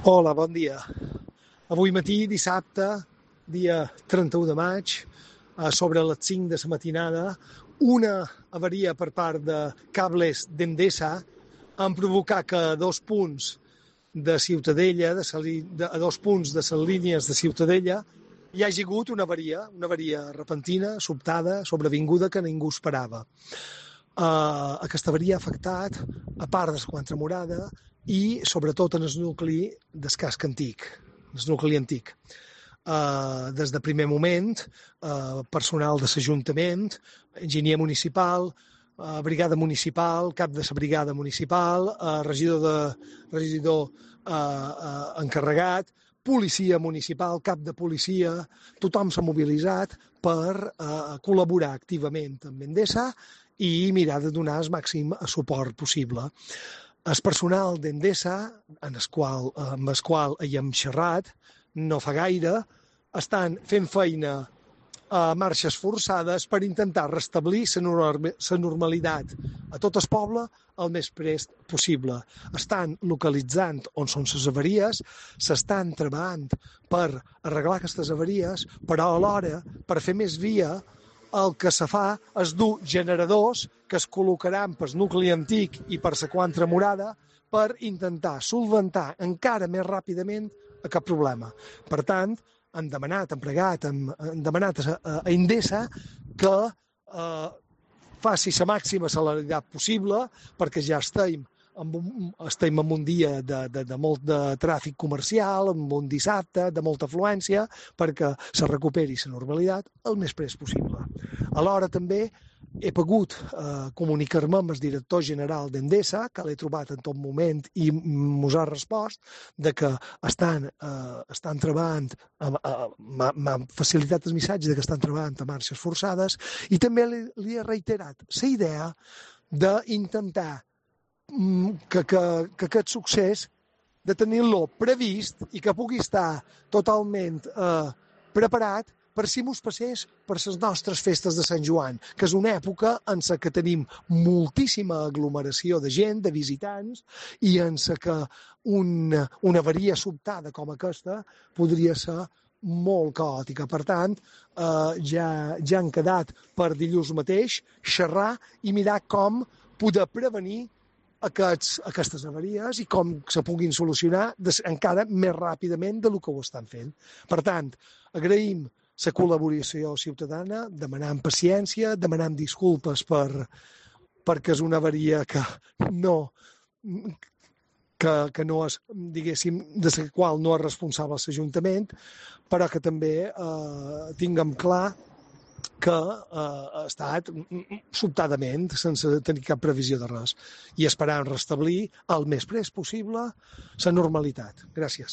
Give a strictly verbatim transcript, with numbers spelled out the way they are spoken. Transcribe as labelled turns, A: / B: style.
A: Hola, bon dia. Avui matí, dissabte, dia trenta-u de maig, a sobre les cinc de la matinada, una avaria per part de cables d'Endesa han provocat que a dos punts de Ciutadella, de, sa, de a dos punts de les línies de Ciutadella, hi hagi hagut una avaria, una avaria repentina, sobtada, sobrevinguda, que ningú esperava. Uh, aquesta avaria ha afectat a part de la Quantremorada i sobretot en el nucli del casc antic, el nucli antic. Uh, des de primer moment, uh, personal de l'Ajuntament, enginyer municipal, uh, brigada municipal, cap de la brigada municipal, uh, regidor, de, regidor uh, uh, encarregat, policia municipal, cap de policia, tothom s'ha mobilitzat per uh, col·laborar activament amb Endesa i mirar de donar el màxim suport possible. El personal d'Endesa, en el qual, amb el qual hi hem xerrat, no fa gaire, estan fent feina a marxes forçades per intentar restablir la normalitat a tot el poble el més prest possible. Estan localitzant on són les avaries, s'estan treballant per arreglar aquestes avaries, però alhora, per fer més via, el que se fa és dur generadors que es col·locaran pel nucli antic i per la Quantremorada per intentar solventar encara més ràpidament aquest problema. Per tant, han demanat, han pregat, han, han demanat a, a Endesa que eh, faci la màxima celeritat possible perquè ja estem en un, estem en un dia de, de, de molt de tràfic comercial, en un dissabte de molta afluència, perquè se recuperi la normalitat el més prest possible. Alhora també he pogut eh, comunicar-me amb el director general d'Endesa, que l'he trobat en tot moment i mos ha respost de que estan, eh, estan treballant, m'ha facilitat el missatge de que estan treballant a marxes forçades i també li, li he reiterat la idea d'intentar que, que, que aquest succés de tenir-lo previst i que pugui estar totalment eh, preparat per si mos passés per les nostres festes de Sant Joan, que és una època en la que tenim moltíssima aglomeració de gent, de visitants, i en la que una, una avaria sobtada com aquesta podria ser molt caòtica. Per tant, eh, ja, ja han quedat per dilluns mateix xerrar i mirar com poder prevenir aquests, aquestes avaries i com se puguin solucionar des, encara més ràpidament del que ho estan fent. Per tant, agraïm la col·laboració ciutadana, demanant paciència, demanant disculpes per, perquè és una avaria que no, que, que no és, diguéssim, de la qual no és responsable l'Ajuntament, però que també eh, tinguem clar que eh, ha estat sobtadament, sense tenir cap previsió de res, i esperant restablir el més prest possible la normalitat. Gràcies.